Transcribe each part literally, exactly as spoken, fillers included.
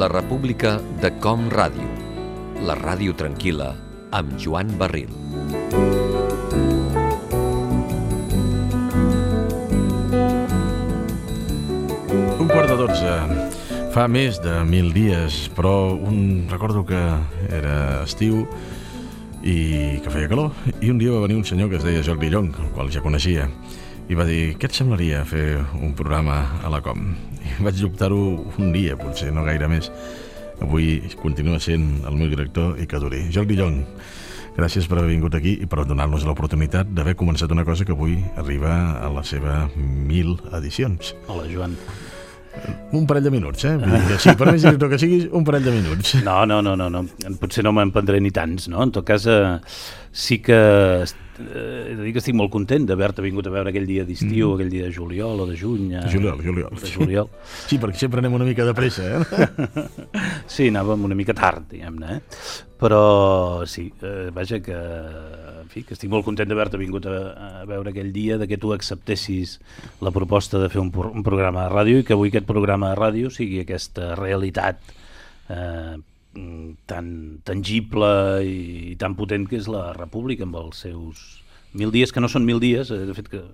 La República de Com Ràdio. La ràdio tranquil·la amb Joan Barril. Un quart de dotze. Fa més de mil dies, però un... recordo que era estiu i que feia calor, i un dia va venir un senyor que es deia Jordi Llong, el qual ja coneixia, i va dir: què et semblaria fer un programa a la Com? I vaig dubtar-ho un dia, potser no gaire més. Avui continua sent el meu director i que duri. Jordi Llong, gràcies per haver vingut aquí i per donar-nos l'oportunitat d'haver començat una cosa que avui arriba a la seva mil edicions. Hola, Joan. Un parell de minuts, eh? Vull dir que sí, per més director que siguis, un parell de minuts. No, no, no, no, no. Potser no me'n prendré ni tants, no? En tot cas, eh, sí que eh, he de dir que estic molt content d'haver-te vingut a veure aquell dia d'estiu, mm. aquell dia de juliol o de juny. Eh, juliol, juliol. De juliol. Sí, perquè sempre anem una mica de pressa, eh? Sí, anàvem una mica tard, diguem-ne, eh? Però sí, eh, vaja que, en fi, que estic molt content d'haver-te vingut a, a veure aquell dia, de que tu acceptessis la proposta de fer un, un programa de ràdio i que avui aquest programa de ràdio sigui aquesta realitat eh, tan tangible i, i tan potent que és la República, amb els seus mil dies, que no són mil dies, eh, de fet que,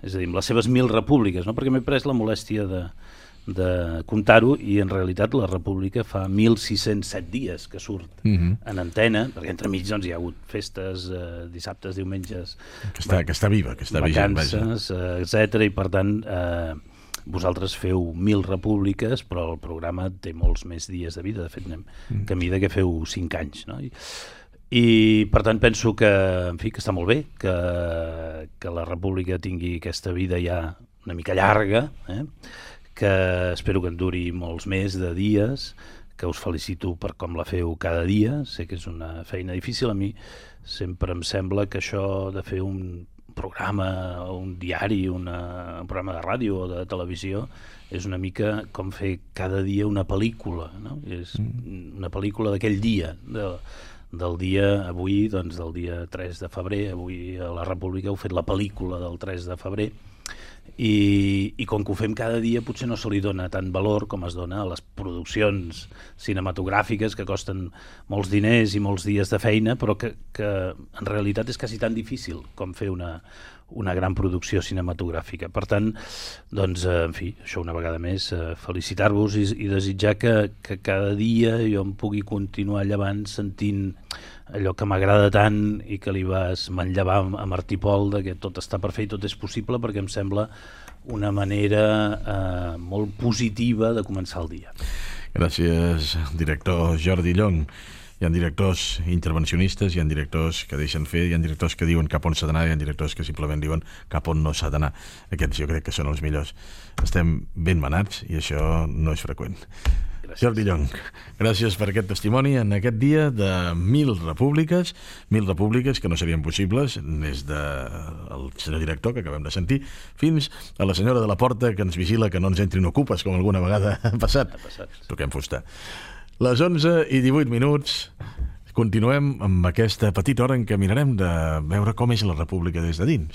és a dir, amb les seves mil repúbliques, no? Perquè m'he pres la molèstia de de comptar-ho, i en realitat la República fa mil sis-cents set dies que surt uh-huh. en antena, perquè entremig doncs, hi ha hagut festes, eh, dissabtes, diumenges, que està, que està viva, que està vacances, eh, etcètera, i per tant eh, vosaltres feu mil repúbliques, però el programa té molts més dies de vida. De fet, anem uh-huh. camí de que feu cinc anys, no? I, i per tant penso que, en fi, que està molt bé que, que la República tingui aquesta vida ja una mica llarga, eh? Que espero que en duri molts més de dies, que us felicito per com la feu cada dia. Sé que és una feina difícil. A mi sempre em sembla que això de fer un programa, un diari, una, un programa de ràdio o de televisió és una mica com fer cada dia una pel·lícula, no? És una pel·lícula d'aquell dia, de, del dia avui, doncs del dia tres de febrer. Avui a la República heu fet la pel·lícula del tres de febrer. I, i com que ho fem cada dia potser no se li dona tant valor com es dona a les produccions cinematogràfiques, que costen molts diners i molts dies de feina, però que, que en realitat és quasi tan difícil com fer una, una gran producció cinematogràfica. Per tant, doncs, en fi, això una vegada més, felicitar-vos i, i desitjar que, que cada dia jo em pugui continuar llevant sentint allò que m'agrada tant i que li vas manllevar a Martí Pol, de que tot està per fer i tot és possible, perquè em sembla una manera eh, molt positiva de començar el dia. Gràcies, director Jordi Llong. Hi ha directors intervencionistes, hi ha directors que deixen fer, hi ha directors que diuen cap on s'ha d'anar, hi ha directors que simplement diuen cap on no s'ha d'anar. Aquests jo crec que són els millors. Estem ben manats i això no és freqüent. Gràcies. Jordi Llong, gràcies per aquest testimoni en aquest dia de mil repúbliques, mil repúbliques que no serien possibles des del senyor director que acabem de sentir fins a la senyora de la porta que ens vigila que no ens entrin ocupes, com alguna vegada ha passat. Ha passat. Toquem fusta. Les onze i divuit minuts, continuem amb aquesta petita hora en què mirarem de veure com és la República des de dins.